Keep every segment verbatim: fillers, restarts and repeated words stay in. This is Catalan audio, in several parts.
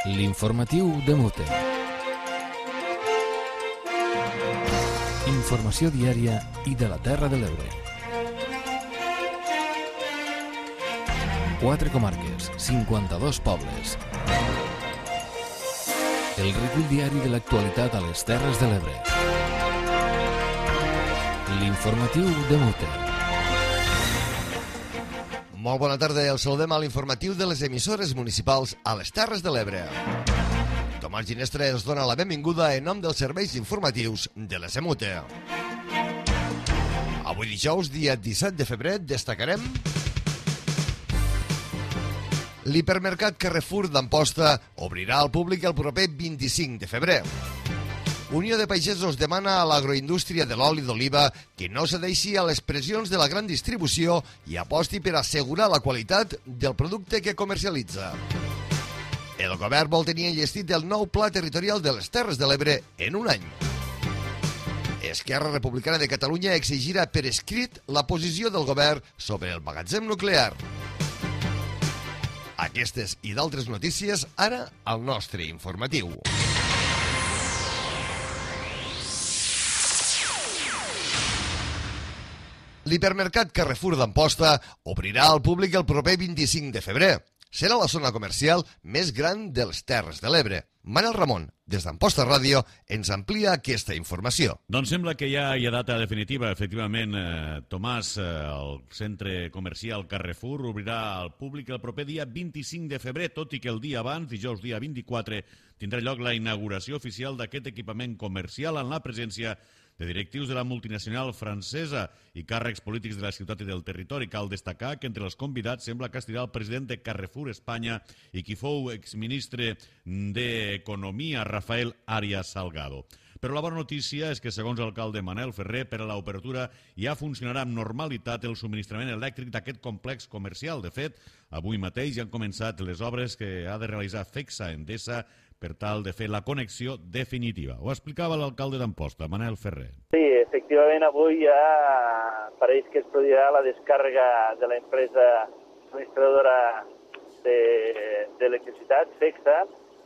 L'informatiu de Mute. Informació diària i de la Terra de l'Ebre. Quatre comarques, cinquanta-dos pobles. El recull diari de l'actualitat a les Terres de l'Ebre. L'informatiu de Mute. Molt bona tarda, el saludem a l'informatiu de les emissores municipals a les Terres de l'Ebre. Tomàs Ginestra ens dona la benvinguda en nom dels serveis informatius de la Semute. Avui dijous, dia disset de febrer, destacarem l'hipermercat Carrefour d'Amposta obrirà al públic el proper vint-i-cinc de febrer. Unió de Pagesos demana a l'agroindústria de l'oli d'oliva que no cedeixi a les pressions de la gran distribució i aposti per assegurar la qualitat del producte que comercialitza. El govern vol tenir enllestit el nou Pla Territorial de les Terres de l'Ebre en un any. Esquerra Republicana de Catalunya exigirà per escrit la posició del govern sobre el magatzem nuclear. Aquestes i d'altres notícies ara al nostre informatiu. L'hipermercat Carrefour d'Amposta obrirà al públic el proper vint-i-cinc de febrer. Serà la zona comercial més gran de les Terres de l'Ebre. Manel Ramon, des d'Amposta Ràdio, ens amplia aquesta informació. Doncs sembla que ja hi ha data definitiva. Efectivament, eh, Tomàs, eh, el centre comercial Carrefour obrirà al públic el proper dia vint-i-cinc de febrer, tot i que el dia abans, dijous dia vint-i-quatre, tindrà lloc la inauguració oficial d'aquest equipament comercial en la presència de directius de la multinacional francesa i càrrecs polítics de la ciutat i del territori. Cal destacar que entre els convidats sembla que estirà el president de Carrefour Espanya i qui fou exministre d'Economia, Rafael Arias Salgado. Però la bona notícia és que, segons l'alcalde Manel Ferrer, per a l'obertura ja funcionarà amb normalitat el subministrament elèctric d'aquest complex comercial. De fet, avui mateix ja han començat les obres que ha de realitzar FECSA Endesa per tal de fer la connexió definitiva. Ho explicava l'alcalde d'Amposta, Manel Ferrer. Sí, efectivament, avui ja pareix que es produirà la descàrrega de l'empresa subministradora d'electricitat, de, FECSA,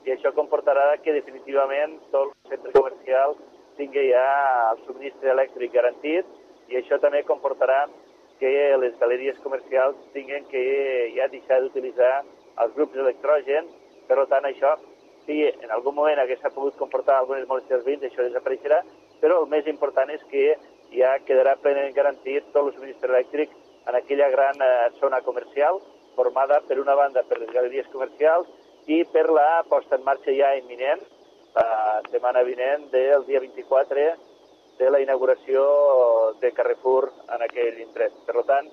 i això comportarà que definitivament tot el centre comercial tingui ja el subministre elèctric garantit, i això també comportarà que les galeries comercials tinguin que ja deixar d'utilitzar els grups d'electrogen. Per tant, això, si en algun moment hagués pogut comportar algunes molèsties als veïns, això desapareixerà, però el més important és que ja quedarà plenament garantit tot el subministre elèctric en aquella gran eh, zona comercial, formada per una banda per les galeries comercials i per la posta en marxa ja imminent, la setmana vinent del dia vint-i-quatre, de la inauguració de Carrefour en aquell indret. Per tant,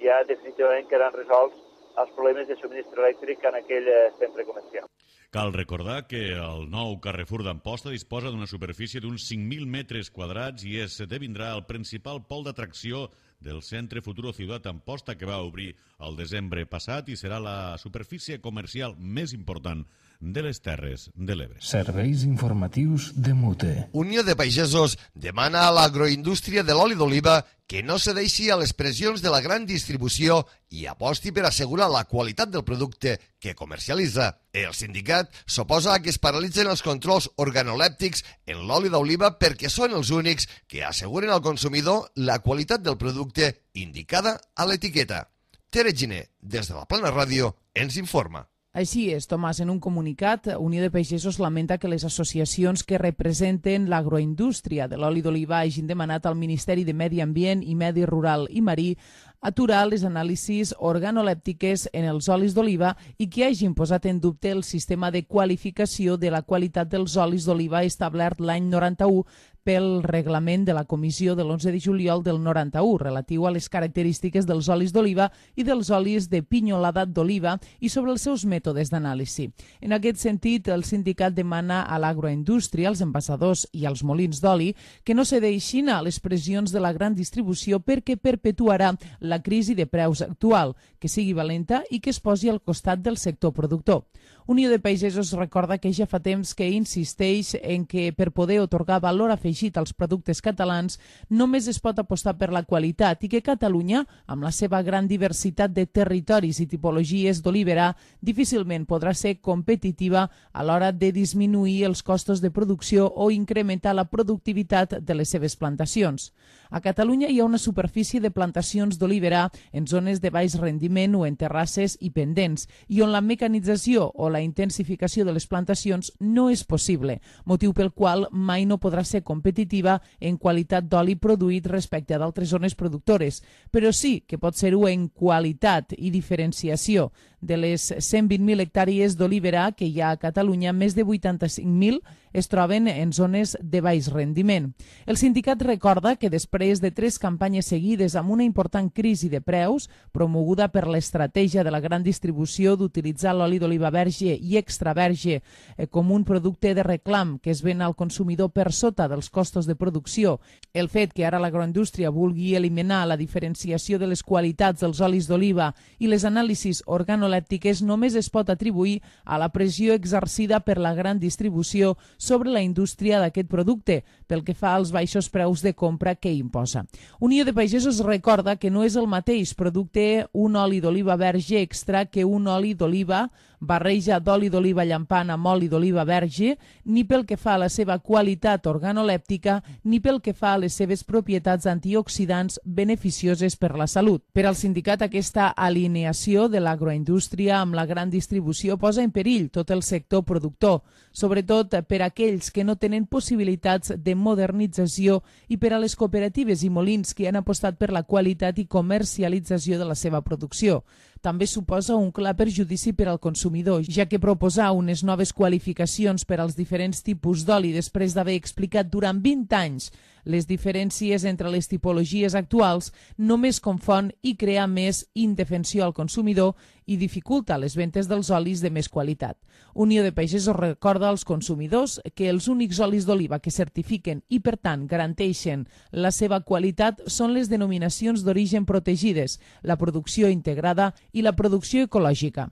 ja definitivament quedaran resolts els problemes de subministre elèctric en aquell centre comercial. Cal recordar que el nou Carrefour d'Amposta disposa d'una superfície d'uns cinc mil metres quadrats i esdevindrà el principal pol d'atracció del Centre Futuro Ciutat Amposta, que va obrir el desembre passat i serà la superfície comercial més important de les Terres de l'Ebre. Serveis informatius de Mute. Unió de Pagesos demana a l'agroindústria de l'oli d'oliva que no cedeixi a les pressions de la gran distribució i aposti per assegurar la qualitat del producte que comercialitza. El sindicat s'oposa a que es paralitzen els controls organolèptics en l'oli d'oliva perquè són els únics que asseguren al consumidor la qualitat del producte indicada a l'etiqueta. Tere Giner, des de la Plana Ràdio, ens informa. Així és, Tomàs, en un comunicat, Unió de Pagesos lamenta que les associacions que representen l'agroindústria de l'oli d'oliva hagin demanat al Ministeri de Medi Ambient i Medi Rural i Marí aturar les anàlisis organolèptiques en els olis d'oliva i que hagin posat en dubte el sistema de qualificació de la qualitat dels olis d'oliva establert l'any noranta-u pel reglament de la Comissió de l'onze de juliol del noranta-u, relatiu a les característiques dels olis d'oliva i dels olis de pinyolada d'oliva i sobre els seus mètodes d'anàlisi. En aquest sentit, el sindicat demana a l'agroindústria, als envasadors i als molins d'oli que no cedeixin a les pressions de la gran distribució perquè perpetuarà la crisi de preus actual, que sigui valenta i que es posi al costat del sector productor. Unió de Pagesos recorda que ja fa temps que insisteix en que per poder otorgar valor afegit afegit als productes catalans, només es pot apostar per la qualitat i que Catalunya, amb la seva gran diversitat de territoris i tipologies d'olivera, difícilment podrà ser competitiva a l'hora de disminuir els costos de producció o incrementar la productivitat de les seves plantacions. A Catalunya hi ha una superfície de plantacions d'olivera en zones de baix rendiment o en terrasses i pendents, i on la mecanització o la intensificació de les plantacions no és possible, motiu pel qual mai no podrà ser competitiva en qualitat d'oli produït respecte a d'altres zones productores, però sí que pot ser-ho en qualitat i diferenciació. De les cent vint mil hectàrees d'olivera que hi ha a Catalunya, més de vuitanta-cinc mil es troben en zones de baix rendiment. El sindicat recorda que després de tres campanyes seguides amb una important crisi de preus, promoguda per l'estratègia de la gran distribució d'utilitzar l'oli d'oliva verge i extra verge com un producte de reclam que es ven al consumidor per sota dels costos de producció, el fet que ara l'agroindústria vulgui eliminar la diferenciació de les qualitats dels olis d'oliva i les anàlisis organolèptiques només es pot atribuir a la pressió exercida per la gran distribució sobre la indústria d'aquest producte, pel que fa als baixos preus de compra que imposa. Unió de Pagesos recorda que no és el mateix producte un oli d'oliva verge extra que un oli d'oliva barreja d'oli d'oliva llampant amb oli d'oliva verge, ni pel que fa a la seva qualitat organolèptica, ni pel que fa a les seves propietats antioxidants beneficioses per la salut. Per al sindicat, aquesta alineació de l'agroindústria amb la gran distribució posa en perill tot el sector productor, sobretot per a aquells que no tenen possibilitats de modernització i per a les cooperatives i molins que han apostat per la qualitat i comercialització de la seva producció. També suposa un clar perjudici per al consumidor, ja que proposar unes noves qualificacions per als diferents tipus d'oli després d'haver explicat durant vint anys les diferències entre les tipologies actuals només confon i crea més indefensió al consumidor i dificulta les ventes dels olis de més qualitat. Unió de Pagesos recorda als consumidors que els únics olis d'oliva que certifiquen i, per tant, garanteixen la seva qualitat són les denominacions d'origen protegides, la producció integrada i la producció ecològica.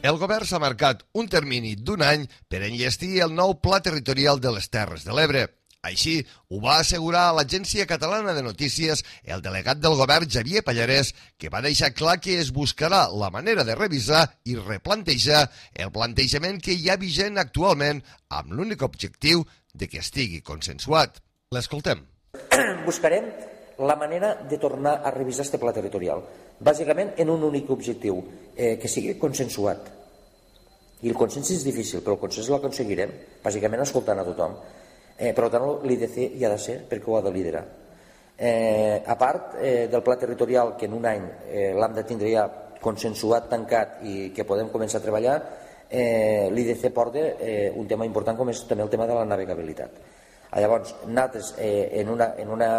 El govern s'ha marcat un termini d'un any per enllestir el nou Pla Territorial de les Terres de l'Ebre. Així ho va assegurar a l'Agència Catalana de Notícies el delegat del govern Xavier Pallarès, que va deixar clar que es buscarà la manera de revisar i replantejar el plantejament que hi ha vigent actualment amb l'únic objectiu de que estigui consensuat. L'escoltem. Buscarem la manera de tornar a revisar este pla territorial, bàsicament en un únic objectiu, eh, que sigui consensuat. I el consens és difícil, però el consens l'aconseguirem, bàsicament escoltant a tothom. Eh, per tant, l'I D C hi ha de ser perquè ho ha de liderar. Eh, a part eh, del pla territorial, que en un any eh, l'hem de tindre ja consensuat, tancat i que podem començar a treballar, eh, l'I D C porta eh, un tema important com és també el tema de la navegabilitat. Ah, llavors, nosaltres eh, en una... En una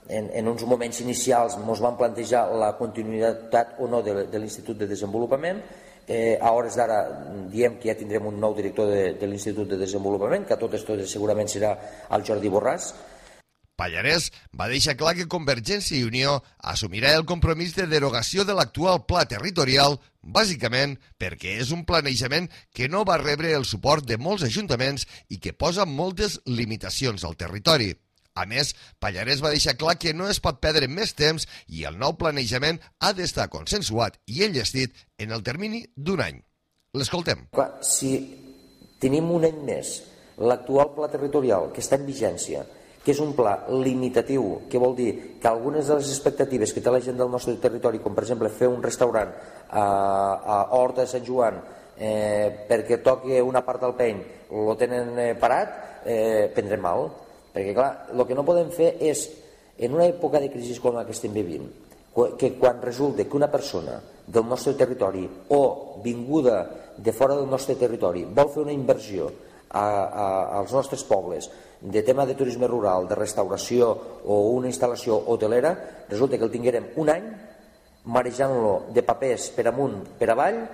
En, en uns moments inicials ens van plantejar la continuïtat o no de, de l'Institut de Desenvolupament. Eh, a hores d'ara diem que ja tindrem un nou director de, de l'Institut de Desenvolupament, que a totes totes segurament serà el Jordi Borràs. Pallarès va deixar clar que Convergència i Unió assumirà el compromís de derogació de l'actual pla territorial, bàsicament perquè és un planejament que no va rebre el suport de molts ajuntaments i que posa moltes limitacions al territori. A més, Pallarès va deixar clar que no es pot perdre més temps i el nou planejament ha d'estar consensuat i enllestit en el termini d'un any. L'escoltem. Clar, si tenim un any més l'actual pla territorial que està en vigència, que és un pla limitatiu, que vol dir que algunes de les expectatives que té la gent del nostre territori, com per exemple fer un restaurant a, a Horta de Sant Joan eh, perquè toqui una part del peny, lo tenen eh, parat, eh, prendrem mal. Perquè, clar, el que no podem fer és, en una època de crisi com la que estem vivint, que quan resulta que una persona del nostre territori o vinguda de fora del nostre territori vol fer una inversió a, a, als nostres pobles de tema de turisme rural, de restauració o una instal·lació hotelera, resulta que el tinguérem un any marejant-lo de papers per amunt, per avall,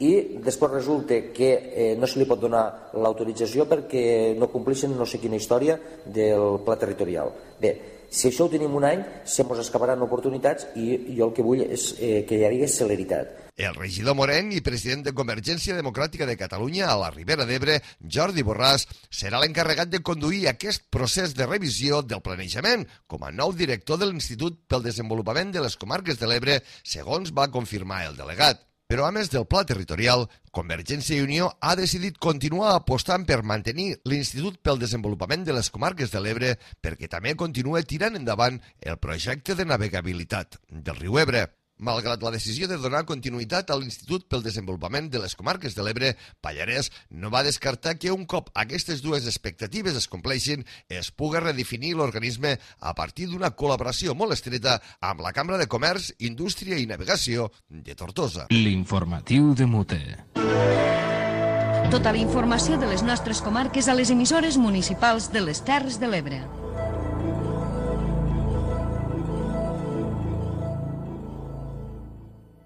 i després resulta que eh, no se li pot donar l'autorització perquè no complixen no sé quina història del pla territorial. Bé, Si això ho tenim un any, se mos escaparan oportunitats i jo el que vull és eh, que hi hagi celeritat. El regidor Moren i president de Convergència Democràtica de Catalunya a la Ribera d'Ebre, Jordi Borràs, serà l'encarregat de conduir aquest procés de revisió del planejament com a nou director de l'Institut pel Desenvolupament de les Comarques de l'Ebre, segons va confirmar el delegat. Però a més del pla territorial, Convergència i Unió ha decidit continuar apostant per mantenir l'Institut pel Desenvolupament de les Comarques de l'Ebre perquè també continua tirant endavant el projecte de navegabilitat del riu Ebre. Malgrat la decisió de donar continuïtat a l'Institut pel Desenvolupament de les Comarques de l'Ebre, Pallarès no va descartar que un cop aquestes dues expectatives es compleixin, es pugui redefinir l'organisme a partir d'una col·laboració molt estreta amb la Cambra de Comerç, Indústria i Navegació de Tortosa. L'informatiu de Mute. Tota la informació de les nostres comarques a les emissores municipals de les Terres de l'Ebre.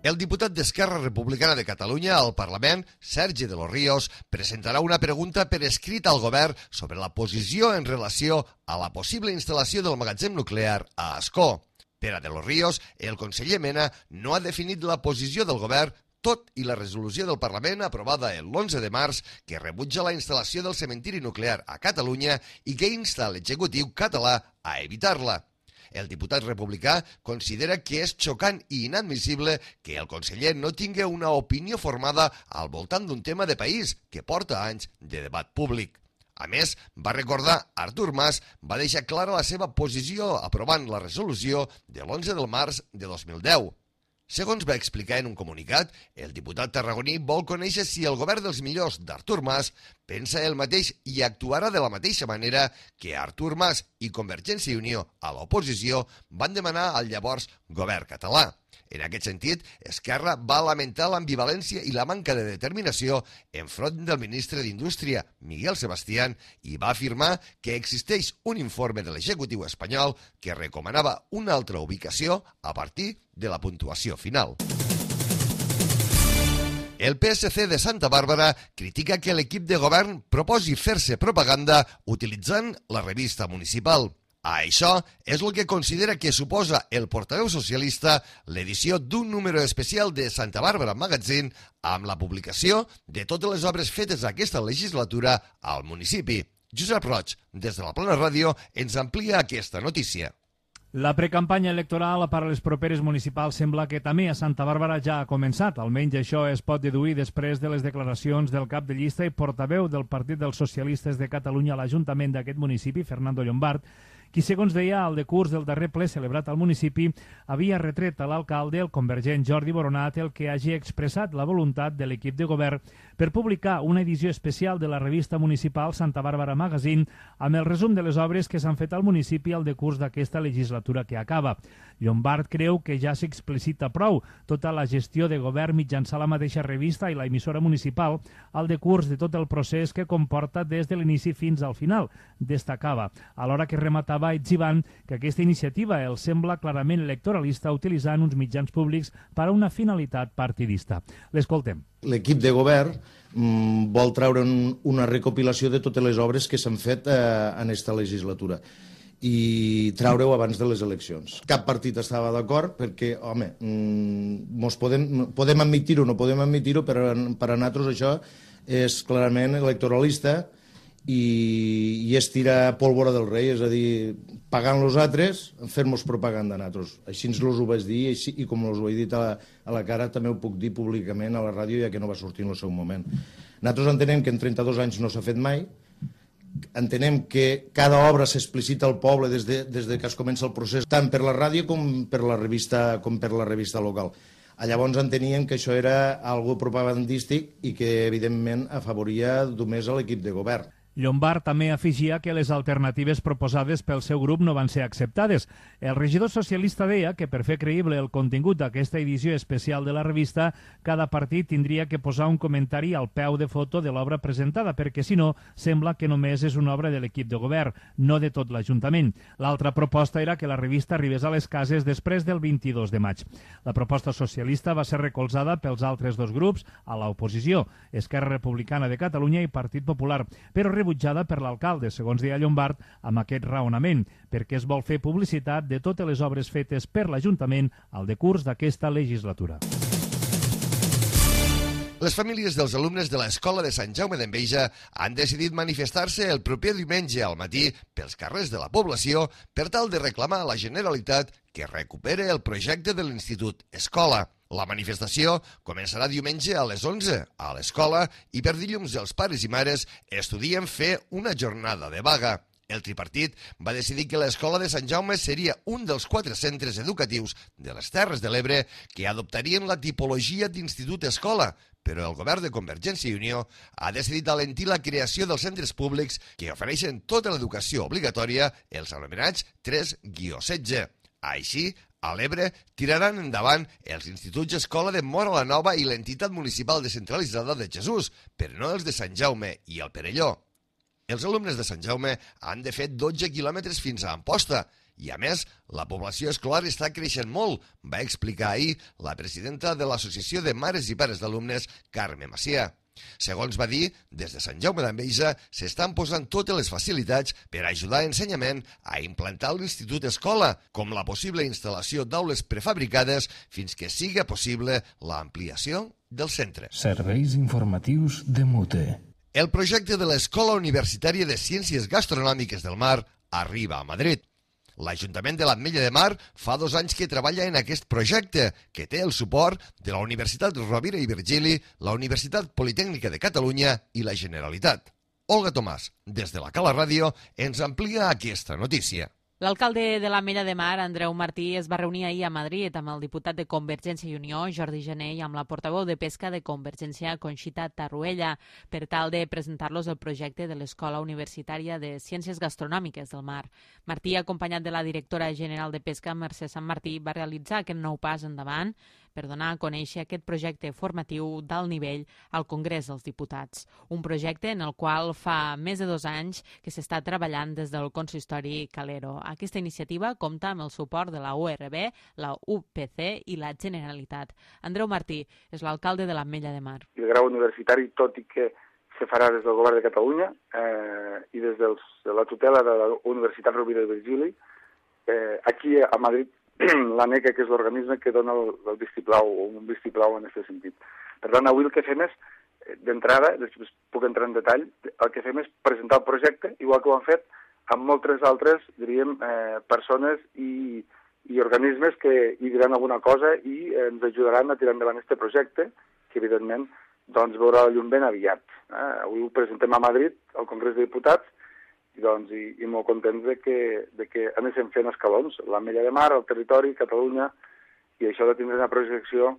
El diputat d'Esquerra Republicana de Catalunya al Parlament, Sergi de los Ríos, presentarà una pregunta per escrit al govern sobre la posició en relació a la possible instal·lació del magatzem nuclear a Ascó. Per a de los Ríos, el conseller Mena no ha definit la posició del govern, tot i la resolució del Parlament aprovada l'onze de març que rebutja la instal·lació del cementiri nuclear a Catalunya i que insta l'executiu català a evitar-la. El diputat republicà considera que és xocant i inadmissible que el conseller no tingui una opinió formada al voltant d'un tema de país que porta anys de debat públic. A més, va recordar Artur Mas va deixar clara la seva posició aprovant la resolució de l'onze de març de dos mil deu. Segons va explicar en un comunicat, el diputat tarragoní vol conèixer si el govern dels millors d'Artur Mas pensa el mateix i actuarà de la mateixa manera que Artur Mas i Convergència i Unió a l'oposició van demanar al llavors govern català. En aquest sentit, Esquerra va lamentar l'ambivalència i la manca de determinació enfront del ministre d'Indústria, Miguel Sebastián, i va afirmar que existeix un informe de l'executiu espanyol que recomanava una altra ubicació a partir de la puntuació final. El P S C de Santa Bàrbara critica que l'equip de govern proposi fer-se propaganda utilitzant la revista municipal. A això és el que considera que suposa el portaveu socialista l'edició d'un número especial de Santa Bàrbara Magazine amb la publicació de totes les obres fetes aquesta legislatura al municipi. Josep Roig, des de la Plana Ràdio, ens amplia aquesta notícia. La precampanya electoral per a les properes municipals sembla que també a Santa Bàrbara ja ha començat. Almenys això es pot deduir després de les declaracions del cap de llista i portaveu del Partit dels Socialistes de Catalunya a l'Ajuntament d'aquest municipi, Fernando Llombart, qui, segons deia al decurs del darrer ple celebrat al municipi, havia retret a l'alcalde, el convergent Jordi Boronat, el que hagi expressat la voluntat de l'equip de govern per publicar una edició especial de la revista municipal Santa Bàrbara Magazine amb el resum de les obres que s'han fet al municipi al decurs d'aquesta legislatura que acaba. Llombart creu que ja s'explicita prou tota la gestió de govern mitjançant la mateixa revista i la emissora municipal al decurs de tot el procés que comporta des de l'inici fins al final, destacava, alhora que rematava etzibant que aquesta iniciativa el sembla clarament electoralista utilitzant uns mitjans públics per a una finalitat partidista. L'escoltem. L'equip de govern mm, vol treure un, una recopilació de totes les obres que s'han fet eh, en aquesta legislatura i treure-ho abans de les eleccions. Cap partit estava d'acord perquè, home, mm, mos podem, podem admitir-ho o no podem admitir-ho, però per a nosaltres això és clarament electoralista i, i és tirar pólvora del rei, és a dir, pagant los altres, fer-nos propaganda a nosaltres. Així ens los ho vaig dir i, i com els ho he dit a la, a la cara també ho puc dir públicament a la ràdio ja que no va sortir en el seu moment. Nosaltres entenem que en trenta-dos anys no s'ha fet mai, entenem que cada obra s'explicita al poble des de, des de que es comença el procés, tant per la ràdio com per la revista, com per la revista local. Llavors enteníem que això era algo propagandístic i que, evidentment, afavoria només a l'equip de govern. Llombart també afegia que les alternatives proposades pel seu grup no van ser acceptades. El regidor socialista deia que per fer creïble el contingut d'aquesta edició especial de la revista, cada partit tindria que posar un comentari al peu de foto de l'obra presentada, perquè si no, sembla que només és una obra de l'equip de govern, no de tot l'Ajuntament. L'altra proposta era que la revista arribés a les cases després del vint-i-dos de maig. La proposta socialista va ser recolzada pels altres dos grups a l'oposició, Esquerra Republicana de Catalunya i Partit Popular, però rebutjada per l'alcalde, segons deia Llombart, amb aquest raonament, perquè es vol fer publicitat de totes les obres fetes per l'Ajuntament al decurs d'aquesta legislatura. Les famílies dels alumnes de l'Escola de Sant Jaume d'Enveja han decidit manifestar-se el proper diumenge al matí pels carrers de la població per tal de reclamar a la Generalitat que recupere el projecte de l'Institut Escola. La manifestació començarà diumenge a les onze a l'escola i per dilluns els pares i mares estudien fer una jornada de vaga. El tripartit va decidir que l'Escola de Sant Jaume seria un dels quatre centres educatius de les Terres de l'Ebre que adoptarien la tipologia d'Institut Escola, però el govern de Convergència i Unió ha decidit alentir la creació dels centres públics que ofereixen tota l'educació obligatòria, els anomenats tres setze. Així, a l'Ebre tiraran endavant els instituts escola de Móra la Nova i l'entitat municipal descentralitzada de Jesús, però no els de Sant Jaume i el Perelló. Els alumnes de Sant Jaume han de fer dotze quilòmetres fins a Amposta i, a més, la població escolar està creixent molt, va explicar ahir la presidenta de l'Associació de Mares i Pares d'Alumnes, Carme Macià. Segons va dir, des de Sant Jaume d'Enveja s'estan posant totes les facilitats per ajudar a Ensenyament a implantar l'Institut Escola, com la possible instal·lació d'aules prefabricades fins que siga possible l'ampliació del centre. Serveis informatius de Mute. El projecte de l'Escola Universitària de Ciències Gastronòmiques del Mar arriba a Madrid. L'Ajuntament de l'Ametlla de Mar fa dos anys que treballa en aquest projecte, que té el suport de la Universitat Rovira i Virgili, la Universitat Politècnica de Catalunya i la Generalitat. Olga Tomàs, des de la Cala Ràdio, ens amplia aquesta notícia. L'alcalde de l'Ametlla de Mar, Andreu Martí, es va reunir ahir a Madrid amb el diputat de Convergència i Unió, Jordi Jané, i amb la portaveu de Pesca de Convergència, Conxita Tarruella, per tal de presentar-los el projecte de l'Escola Universitària de Ciències Gastronòmiques del Mar. Martí, acompanyat de la directora general de Pesca, Mercè Sant Martí, va realitzar aquest nou pas endavant per donar a conèixer aquest projecte formatiu d'alt nivell al Congrés dels Diputats. Un projecte en el qual fa més de dos anys que s'està treballant des del consistori Calero. Aquesta iniciativa compta amb el suport de la U R B, la U P C i la Generalitat. Andreu Martí és l'alcalde de l'Ametlla de Mar. El grau universitari, tot i que se farà des del govern de Catalunya eh, i des dels, de la tutela de la Universitat Rovira i Virgili, eh, aquí a Madrid l'ANECA, que és l'organisme que dona el, el vistiplau, o un vistiplau en aquest sentit. Per tant, avui el que fem és, d'entrada, després puc entrar en detall, el que fem és presentar el projecte, igual que ho han fet amb moltes altres, diríem, eh, persones i, i organismes que hi diran alguna cosa i eh, ens ajudaran a tirar endavant aquest projecte, que evidentment doncs, veurà la llum ben aviat. Eh? Avui ho presentem a Madrid, al Congrés de Diputats, i, doncs, i, i molt contents de que, de que anessin fent escalons. L'Ametlla de Mar, el territori, Catalunya, i això de tindre una projecció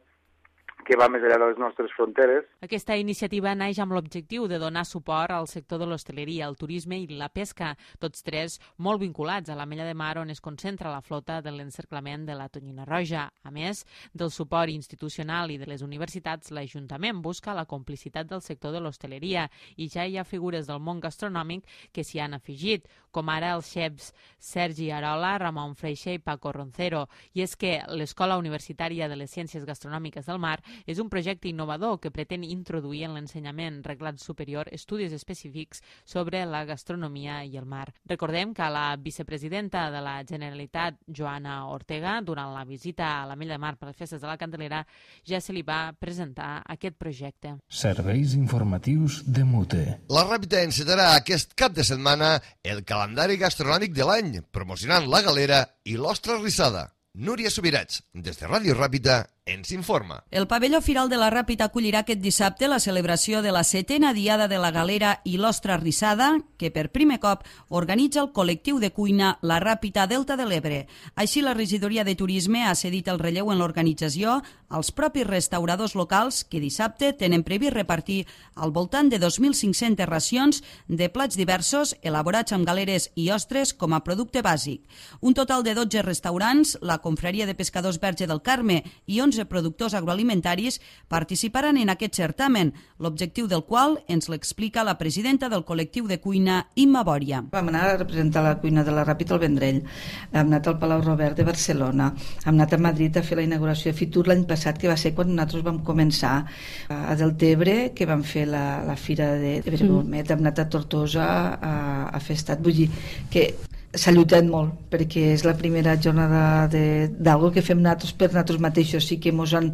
que va més enllà de les nostres fronteres. Aquesta iniciativa naix amb l'objectiu de donar suport al sector de l'hostaleria, el turisme i la pesca, tots tres molt vinculats a l'Ametlla de Mar, on es concentra la flota de l'encerclament de la tonyina roja. A més del suport institucional i de les universitats, l'Ajuntament busca la complicitat del sector de l'hostaleria i ja hi ha figures del món gastronòmic que s'hi han afegit, com ara els xefs Sergi Arola, Ramon Freixa i Paco Roncero. I és que l'Escola Universitària de les Ciències Gastronòmiques del Mar és un projecte innovador que pretén introduir en l'ensenyament reglat superior estudis específics sobre la gastronomia i el mar. Recordem que a la vicepresidenta de la Generalitat, Joana Ortega, durant la visita a l'Ametlla de Mar per les festes de la Candelera, ja se li va presentar aquest projecte. Serveis informatius de Mute. La Ràpita encetarà aquest cap de setmana el calendari gastronòmic de l'any, promocionant la galera i l'ostra rissada. Núria Subirats, des de Ràdio Ràpita, ens informa. El pavelló Firal de la Ràpita acollirà aquest dissabte la celebració de la setena diada de la galera i l'ostra rissada, que per primer cop organitza el col·lectiu de cuina La Ràpita Delta de l'Ebre. Així, la regidoria de turisme ha cedit el relleu en l'organització als propis restauradors locals que dissabte tenen previst repartir al voltant de dos mil cinc-centes racions de plats diversos elaborats amb galeres i ostres com a producte bàsic. Un total de dotze restaurants, la Confraria de Pescadors Verge del Carme i onze quinze productors agroalimentaris participaran en aquest certamen, l'objectiu del qual ens l'explica la presidenta del col·lectiu de cuina, Imma Bòria. Vam anar a representar la cuina de la Ràpita al Vendrell, hem anat al Palau Robert de Barcelona, hem anat a Madrid a fer la inauguració de Fitur l'any passat, que va ser quan nosaltres vam començar, a Deltebre, que vam fer la, la fira de Brebomet, hem anat a Tortosa a, a fer estat, vull dir que s'ha lluitat molt, perquè és la primera jornada d'algo que fem nosaltres per nosaltres mateixos. Sí que ens han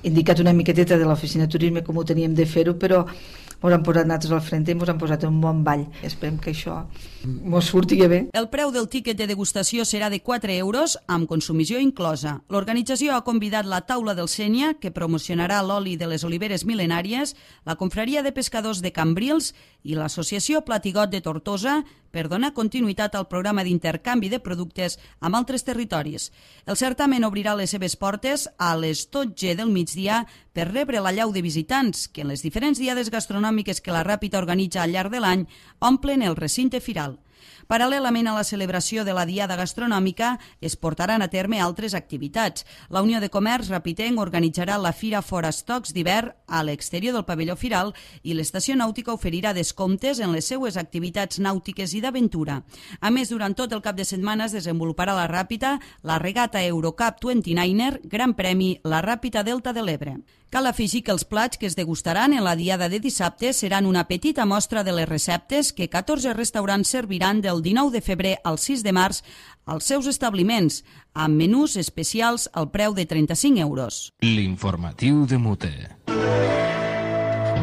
indicat una miqueteta de l'oficina de turisme com ho teníem de fer-ho, però ens han posat nosaltres al frente i ens han posat un bon ball. Esperem que això ens surti bé. El preu del tíquet de degustació serà de quatre euros, amb consumició inclosa. L'organització ha convidat la Taula del Sénia, que promocionarà l'oli de les oliveres mil·lenàries, la Confraria de Pescadors de Cambrils i l'Associació Platigot de Tortosa, per donar continuïtat al programa d'intercanvi de productes amb altres territoris. El certamen obrirà les seves portes a les dotze del migdia per rebre l'allau de visitants que en les diferents diades gastronòmiques que la Ràpita organitza al llarg de l'any omplen el recinte firal. Paral·lelament a la celebració de la Diada Gastronòmica es portaran a terme altres activitats. La Unió de Comerç Rapitenc organitzarà la Fira Forastocs d'hivern a l'exterior del pavelló firal i l'Estació Nàutica oferirà descomptes en les seues activitats nàutiques i d'aventura. A més, durant tot el cap de setmana es desenvoluparà a la Ràpita la regata Eurocup vint-i-nou er, Gran Premi La Ràpita Delta de l'Ebre. Cal afegir que els plats que es degustaran en la diada de dissabte seran una petita mostra de les receptes que catorze restaurants serviran del dinou de febrer al sis de març als seus establiments, amb menús especials al preu de trenta-cinc euros. L'informatiu de Mute.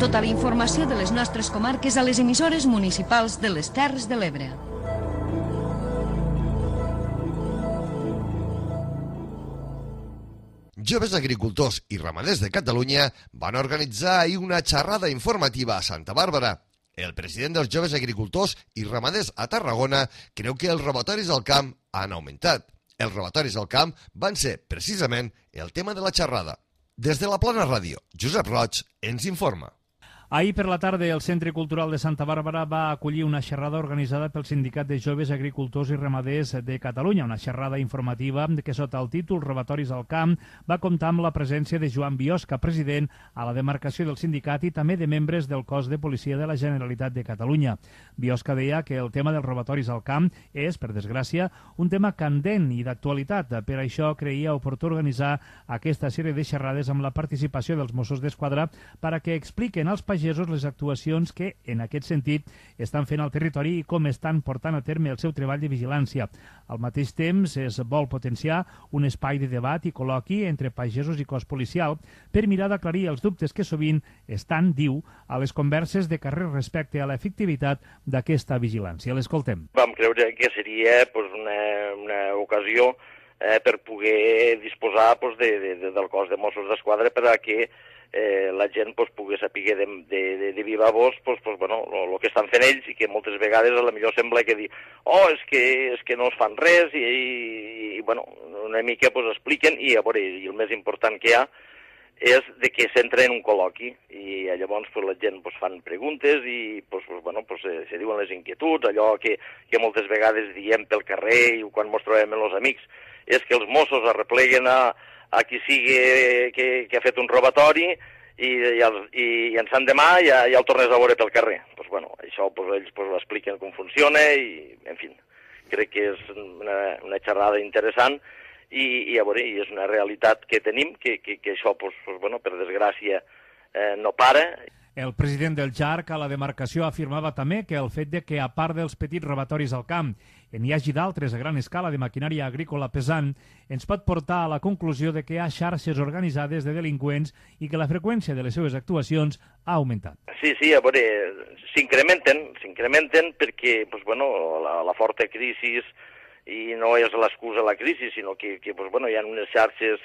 Tota la informació de les nostres comarques a les emissores municipals de les Terres de l'Ebre. Joves agricultors i ramaders de Catalunya van organitzar ahir una xerrada informativa a Santa Bàrbara. El president dels joves agricultors i ramaders a Tarragona creu que els robatoris al camp han augmentat. Els robatoris al camp van ser, precisament, el tema de la xerrada. Des de la Plana Ràdio, Josep Roig ens informa. Ahir per la tarda el Centre Cultural de Santa Bàrbara va acollir una xerrada organitzada pel Sindicat de Joves Agricultors i Ramaders de Catalunya, una xerrada informativa que sota el títol Robatoris al camp va comptar amb la presència de Joan Biosca, president a la demarcació del sindicat i també de membres del cos de policia de la Generalitat de Catalunya. Biosca deia que el tema dels robatoris al camp és, per desgràcia, un tema candent i d'actualitat. Per això creia oportú organitzar aquesta sèrie de xerrades amb la participació dels Mossos d'Esquadra per a que expliquen als pagesos les actuacions que, en aquest sentit, estan fent al territori i com estan portant a terme el seu treball de vigilància. Al mateix temps, es vol potenciar un espai de debat i col·loqui entre pagesos i cos policial per mirar d'aclarir els dubtes que sovint estan, diu, a les converses de carrer respecte a l'efectivitat d'aquesta vigilància. L'escoltem. Vam creure que seria pues, una, una ocasió eh, per poder disposar pues, de, de, de, del cos de Mossos d'Esquadra per a que Eh, la gent pues, pugui saber de, de, de viva voz pues, pues, bueno, el que estan fent ells i que moltes vegades a la millor sembla que dir oh, és que, és que no es fan res i, i, i bueno, una mica pues, expliquen i, a veure, i el més important que hi ha és de que s'entra en un col·loqui i llavors pues, la gent pues, fan preguntes i pues, pues, bueno, pues, se, se diuen les inquietuds, allò que, que moltes vegades diem pel carrer i quan ens trobem amb els amics és que els Mossos arrepleguen a a qui sigui que, que ha fet un robatori i, i, el, i, i en sant demà ja, ja el tornes a veure pel carrer. Pues, bueno, això pues, ells pues, expliquen com funciona i, en fi, crec que és una, una xerrada interessant i, i, a veure, i és una realitat que tenim, que, que, que això, pues, pues, bueno, per desgràcia, eh, no para. El president del J A R C a la demarcació afirmava també que el fet de que, a part dels petits robatoris al camp, n'hi hagi d'altres a gran escala de maquinària agrícola pesant, ens pot portar a la conclusió de que hi ha xarxes organitzades de delinqüents i que la freqüència de les seves actuacions ha augmentat. Sí, sí, a veure, s'incrementen, s'incrementen perquè, pues, bueno, la, la forta crisi, i no és l'excusa la crisi, sinó que, que pues, bueno, hi ha unes xarxes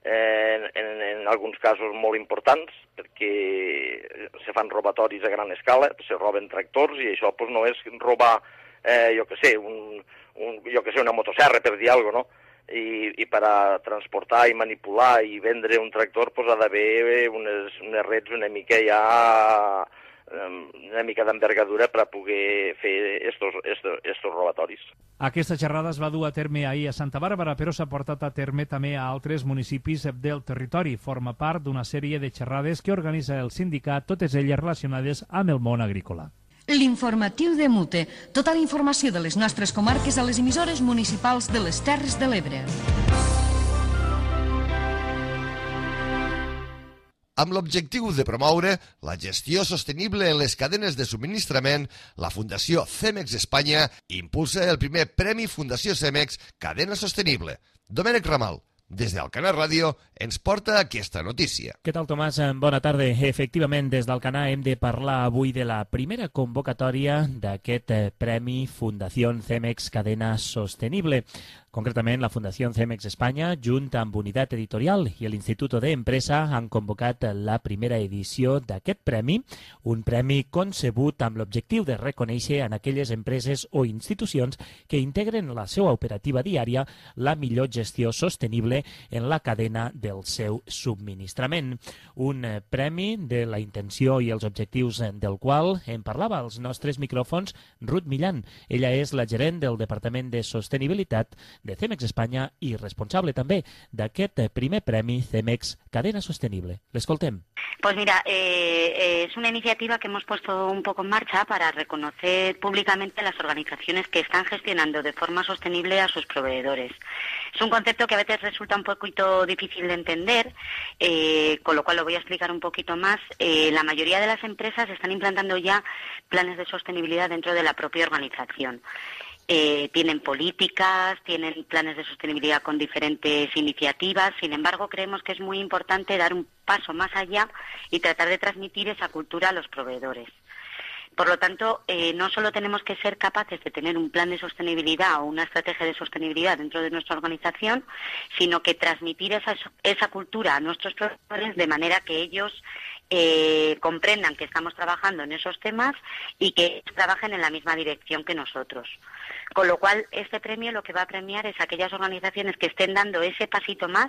En, en, en alguns casos molt importants, perquè se fan robatoris a gran escala, se roben tractors, i això pues, no és robar, eh, jo que sé, un, un, jo que sé, una motosserra, per dir alguna cosa, no? I, i per a transportar i manipular i vendre un tractor pues, ha d'haver unes, unes reds una mica ja una mica d'envergadura per a poder fer estos, estos, estos robatoris. Aquesta xerrada es va dur a terme ahir a Santa Bàrbara, però s'ha portat a terme també a altres municipis del territori. Forma part d'una sèrie de xerrades que organitza el sindicat, totes elles relacionades amb el món agrícola. L'informatiu de Mute. Tota la informació de les nostres comarques a les emissores municipals de les Terres de l'Ebre. Amb l'objectiu de promoure la gestió sostenible en les cadenes de subministrament, la Fundació Cemex Espanya impulsa el primer Premi Fundació Cemex Cadena Sostenible. Domènec Ramal, des d'Alcanar Ràdio, ens porta aquesta notícia. Què tal, Tomàs? Bona tarda. Efectivament, des d'Alcanar hem de parlar avui de la primera convocatòria d'aquest Premi Fundació Cemex Cadena Sostenible. Concretament, la Fundació Cemex Espanya, junt amb Unitat Editorial i l'Institut de Empresa, han convocat la primera edició d'aquest premi, un premi concebut amb l'objectiu de reconèixer en aquelles empreses o institucions que integren la seva operativa diària la millor gestió sostenible en la cadena del seu subministrament. Un premi de la intenció i els objectius del qual en parlava als nostres micròfons Ruth Millan. Ella és la gerent del Departament de Sostenibilitat de Cemex Espanya i responsable també d'aquest primer premi Cemex Cadena Sostenible. L'escoltem. Pues mira, eh, es una iniciativa que hemos puesto un poco en marcha para reconocer públicamente las organizaciones que están gestionando de forma sostenible a sus proveedores. Es un concepto que a veces resulta un poquito difícil de entender, eh, con lo cual lo voy a explicar un poquito más. Eh, la mayoría de las empresas están implantando ya planes de sostenibilidad dentro de la propia organización. Eh, tienen políticas, tienen planes de sostenibilidad con diferentes iniciativas. Sin embargo, creemos que es muy importante dar un paso más allá y tratar de transmitir esa cultura a los proveedores. Por lo tanto, eh, no solo tenemos que ser capaces de tener un plan de sostenibilidad o una estrategia de sostenibilidad dentro de nuestra organización, sino que transmitir esa, esa cultura a nuestros proveedores de manera que ellos eh, comprendan que estamos trabajando en esos temas y que ellos trabajen en la misma dirección que nosotros. Con lo cual, este premio lo que va a premiar es aquellas organizaciones que estén dando ese pasito más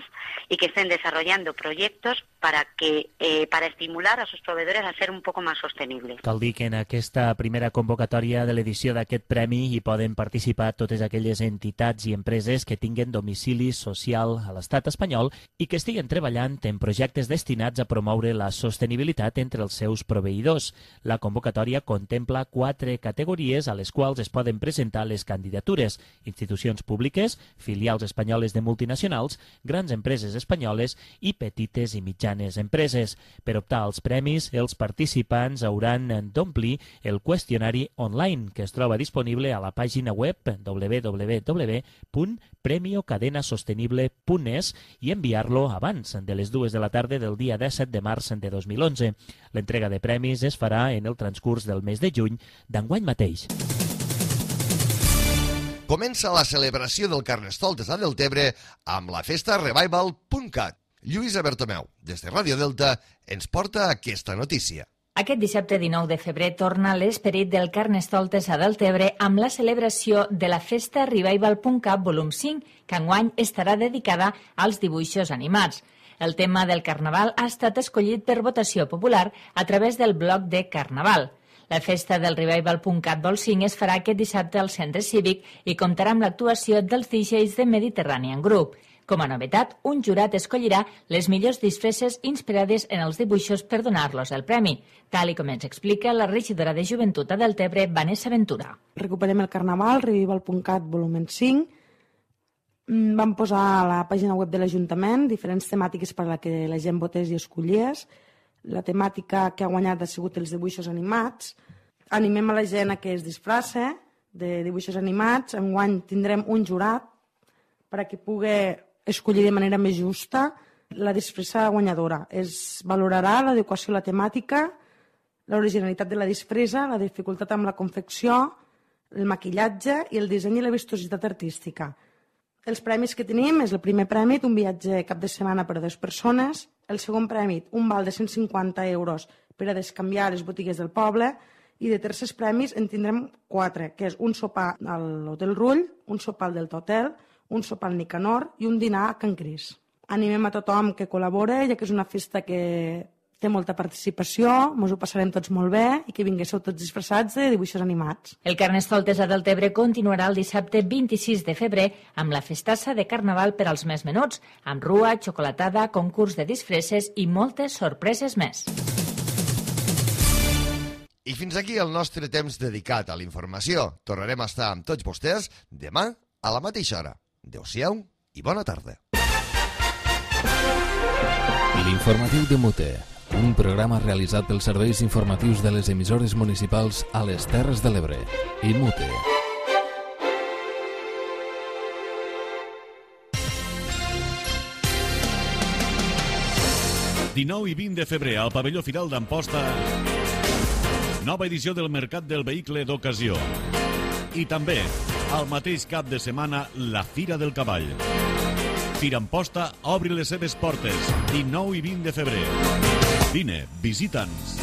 y que estén desarrollando proyectos para que eh, para estimular a sus proveedores a ser un poco más sostenibles. Cal dir que en aquesta primera convocatòria de l'edició d'aquest premi hi poden participar totes aquelles entitats i empreses que tinguen domicili social a l'estat espanyol i que estiguen treballant en projectes destinats a promoure la sostenibilitat entre els seus proveïdors. La convocatòria contempla quatre categories a les quals es poden presentar les candidatures: institucions públiques, filials espanyoles de multinacionals, grans empreses espanyoles i petites i mitjanes empreses. Per optar als premis, els participants hauran d'omplir el qüestionari online que es troba disponible a la pàgina web w w w punt premio cadena sostenible punt es i enviar-lo abans de les dues de la tarda del dia disset de març de dos mil onze. L'entrega de premis es farà en el transcurs del mes de juny d'enguany mateix. Comença la celebració del Carnestoltes a Deltebre amb la festa revival punt cat. Lluïsa Bertomeu, des de Ràdio Delta, ens porta aquesta notícia. Aquest dissabte dinou de febrer torna l'esperit del Carnestoltes a Deltebre amb la celebració de la festa revival punt cat volum cinc, que enguany estarà dedicada als dibuixos animats. El tema del Carnaval ha estat escollit per votació popular a través del blog de Carnaval. La festa del revival punt cat vol cinc es farà aquest dissabte al Centre Cívic i comptarà amb l'actuació dels D Js de Mediterranean Group. Com a novetat, un jurat escollirà les millors disfresses inspirades en els dibuixos per donar-los el premi, tal i com ens explica la regidora de Joventut a Deltebre, Vanessa Ventura. Recuperem el Carnaval, revival punt cat volum cinc. Vam posar a la pàgina web de l'Ajuntament diferents temàtiques per a la que la gent votés i escollies. La temàtica que ha guanyat ha sigut els dibuixos animats. Animem a la gent a que es disfraça de dibuixos animats. Enguany tindrem un jurat perquè pugui escollir de manera més justa la disfressa guanyadora. Es valorarà l'adequació a la temàtica, l'originalitat de la disfressa, la dificultat amb la confecció, el maquillatge i el disseny i la vistositat artística. Els premis que tenim és el primer premi, un viatge cap de setmana per a dues persones, el segon premi, un val de cent cinquanta euros per a descanviar a les botigues del poble, i de tercers premis en tindrem quatre, que és un sopar a l'Hotel Rull, un sopar al Delta Hotel, un sopar al Nicanor i un dinar a Can Cris. Animem a tothom que col·labora, ja que és una festa que té molta participació, mos ho passarem tots molt bé i que vinguéssiu tots disfressats de dibuixos animats. El Carnestoltes a Deltebre continuarà el dissabte vint-i-sis de febrer amb la festassa de Carnaval per als més menuts, amb rua, xocolatada, concurs de disfresses i moltes sorpreses més. I fins aquí el nostre temps dedicat a la informació. Tornarem a estar amb tots vostès demà a la mateixa hora. Adéu-siau i bona tarda. L'informatiu de Mute, un programa realitzat pels serveis informatius de les emissores municipals a les Terres de l'Ebre i Mute. dinou i vint de febrer al pavelló Firal d'Amposta, nova edició del Mercat del Vehicle d'Ocasió. I també, al mateix cap de setmana, la Fira del Cavall. Fira Amposta obri les seves portes, dinou i vint de febrer. Vine, visita'ns.